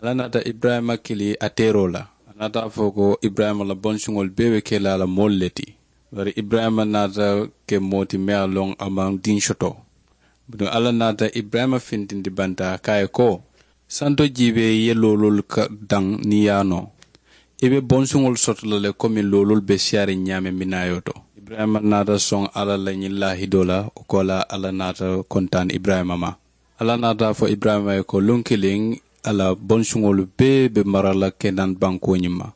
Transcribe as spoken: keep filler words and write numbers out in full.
Alla naata iburayima kili a teeroo la. A naata a fo ko iburayima la bonsuŋolu bee be ke la a la moolu le ti. Bari iburayima naata ke moo ti meŋ ye a loŋ a maŋ diŋ soto. Bituŋ alla naata iburayima fintindi bantaa ka a ye ko, santo jiibee i ye looloolu daŋ niŋ i ye a noo, i be bonsuŋolu soto la le komi looloolu be siyaariŋ ñaameŋ minaayo to. Iburayima naata soŋ alla la ñiŋ laahidoo la. Wo koolaa alla naata kontaani iburayima ma. Alla naata a fo iburayima ye ko luŋ kiliŋ, a la bonsuŋolu bee be mara la kenan bankoo ñiŋ ma.